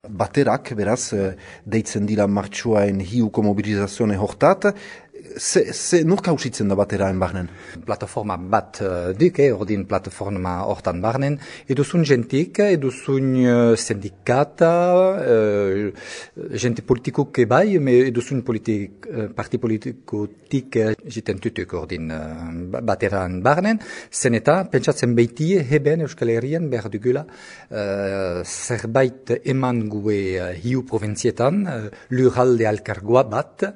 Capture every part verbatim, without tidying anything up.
Baterak, beraz, deitzen dira martxoain hiuko mobilizazione hortat, Ze, ze nur kausitzen da bateraen barnen? Plataforma bat uh, dik, eh, ordin plataforma hortan barnen, eduzun jentik, eduzun uh, sindikata, uh, jente politikuk ebai, me eduzun politik, uh, parti politikotik uh, jiten tutuk ordin uh, bateraen barnen, zen eta pentsatzen beitie heben Euskal Herrian behar dugula uh, zerbait eman gue uh, hiu provinzietan, uh, lurralde alkargoa bat,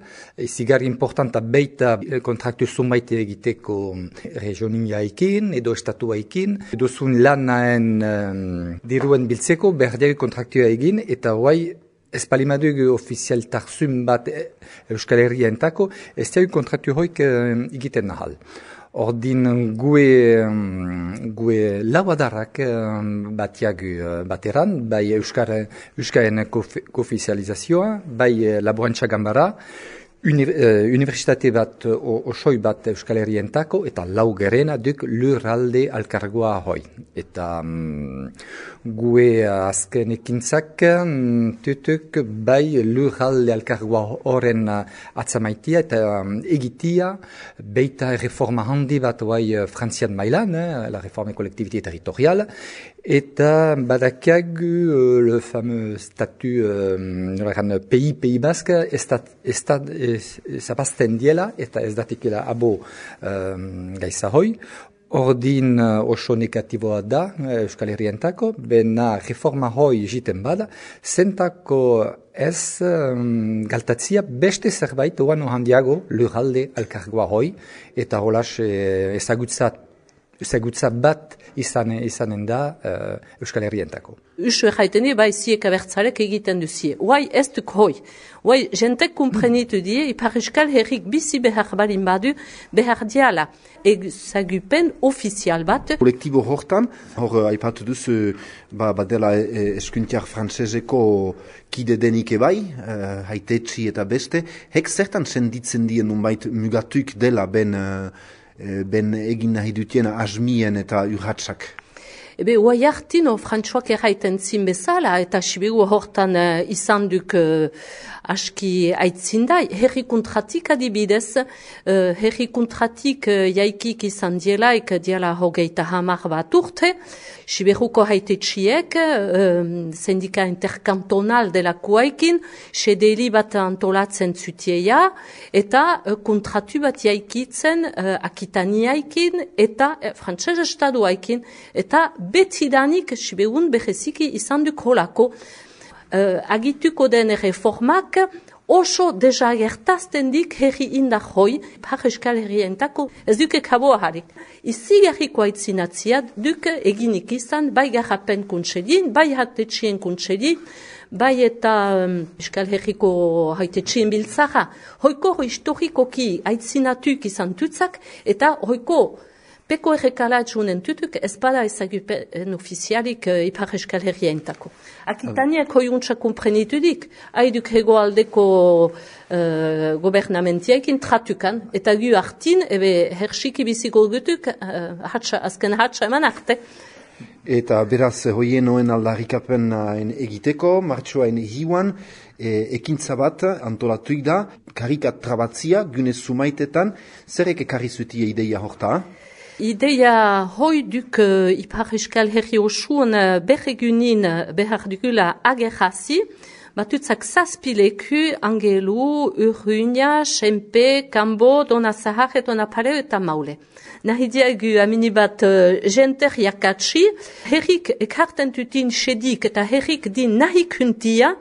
zigar importanta beita kontraktu zumaite egiteko regioniaikin edo estatuaikin, edo zun lanaen um, diruen biltzeko berdegi kontraktua egin, eta guai espalimadugu ofizialtarzun bat Euskal Herrientako, ez da kontraktu hoik uh, egiten nahal. Ordin gue, um, gue lauadarrak um, batiagu uh, bateran, bai Euskara, Euskaren koofizializazioa, bai uh, laborantza gambara, Uni, uh, Universitate bat, osoi bat Euskal Herrientako, eta laugerena duk lurralde alkargoa hoi. Eta um, gue azken ekintzak um, tutuk bai lurralde alkargoa horren uh, atzamaitia eta um, egitia beita reforma handi bat bai frantzian mailan, eh, la reforme collectivité territoriale, eta badakiagu uh, le fameux statut uh, pays, pays basque, estat, estat, zapazten diela, eta ez datikela abo um, gaisa hoi. Ordin uh, oso negatiboa da Euskal Herrientako, bena reforma hoi jiten bada, zentako ez um, galtatzia beste zerbait oan handiago lurralde alkargoa hoi, eta holas eh, ezagutzat ezagutza bat izan, izanen da uh, Euskal Herrientako. Usu erraiten di, bai ziek abertzarek egiten duzie. Huai ez duk hoi. Huai jentek kumprenitu die, ipar Euskal Herrik bizi behar balin badu, behar diala ezagupen ofizial bat. Kolektibo hortan, hor aipatu duzu, ba, badela e, eskuntiar frantseseko kide denik ebai, uh, haitetsi eta beste, hek zertan senditzen dien nunbait mugatuk dela ben... Uh, ben egin nahi dutiena asmien eta urratsak. Ebe, huai hartino Frantsuak erraiten zin bezala, eta sibigu hortan uh, izan duk uh, aski aitzindai, herri kontratik adibidez, uh, herri kontratik uh, jaikik izan dielaik, diela hogeita hamar bat urte, Siberuko haitetxiek, uh, sindika interkantonal delakoaikin, sedeli bat antolatzen zutieia, eta uh, kontratu bat jaikitzen uh, akitaniaikin, eta uh, frantzese estaduaikin, eta betidanik Siberun beheziki izan duk holako. Uh, agituko den reformak, oso deja gertazten dik herri indar hoi, par Euskal Herrientako, ez duke kaboa harik. Izi garriko aitzinatzia duke eginik izan, bai garrapen kuntselin, bai hatetxien kuntselin, bai eta um, Euskal Herriko haitetxien biltzara. Hoiko historikoki aitzinatuk izan tutzak, eta hoiko peko errekalatzunen tutuk ez bada ezagupen ofizialik uh, ipar Euskal Herrientako. Akitaniak hoiuntza komprenitudik, haiduk hegoaldeko uh, gobernamentiaekin tratukan, eta gu hartin, ebe hersiki biziko gutuk, uh, hatsa, azken hatsa eman arte. Eta beraz, hoien noen aldarrikapen egiteko, martxoain hiuan, e, ekintza bat antolatuik da, karikat trabatzia, gune sumaitetan, zerek ekarri zutie ideia horta? Ideia hoi duk uh, ipar Euskal Herri osuan uh, berregunin behar dugula agerrazi, batutzak zazpileku, Angelu, Urruña, Xempe, Kambo, Dona Zahar eta Dona Pareo eta Maule. Nahi diagu aminibat uh, jenter jakatsi, herrik ekarten tutin sedik eta herrik din nahi kuntia,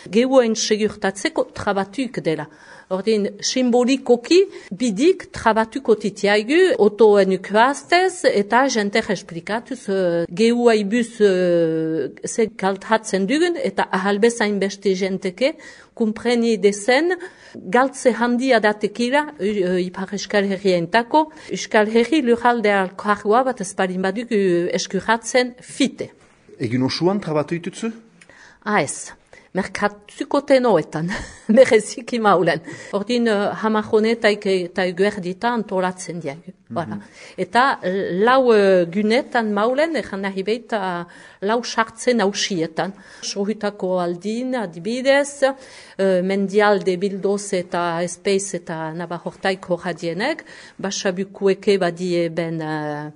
geuen segurtatzeko trabatuk dela. Ordin, simbolikoki bidik trabatuko titiaigu, otoen ukuaztez, eta jenter esplikatuz uh, gehu aibuz uh, ze galthatzen dugun, eta ahalbezain beste jenteke, kumpreni dezen, galtze handia datekila, uh, ipar Euskal Herrientako, Euskal Herri lurralde alkargoa bat ezparin baduk uh, eskuratzen fite. Egin osuan trabatu itutzu? Ah ez. merkatuko tenoetan, bereziki maulen. Ordin, uh, hamajonetaik eta eguerdita antolatzen diag. Voilà. Eta lau uh, gunetan maulen, egan nahi behita lau sartzen hausietan. Sohutako aldin, adibidez, uh, mendialde bildoz eta espeiz eta nabahortaiko radienek, basabukueke badie ben uh,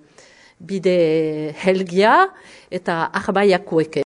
bide helgia eta arbaiakueke.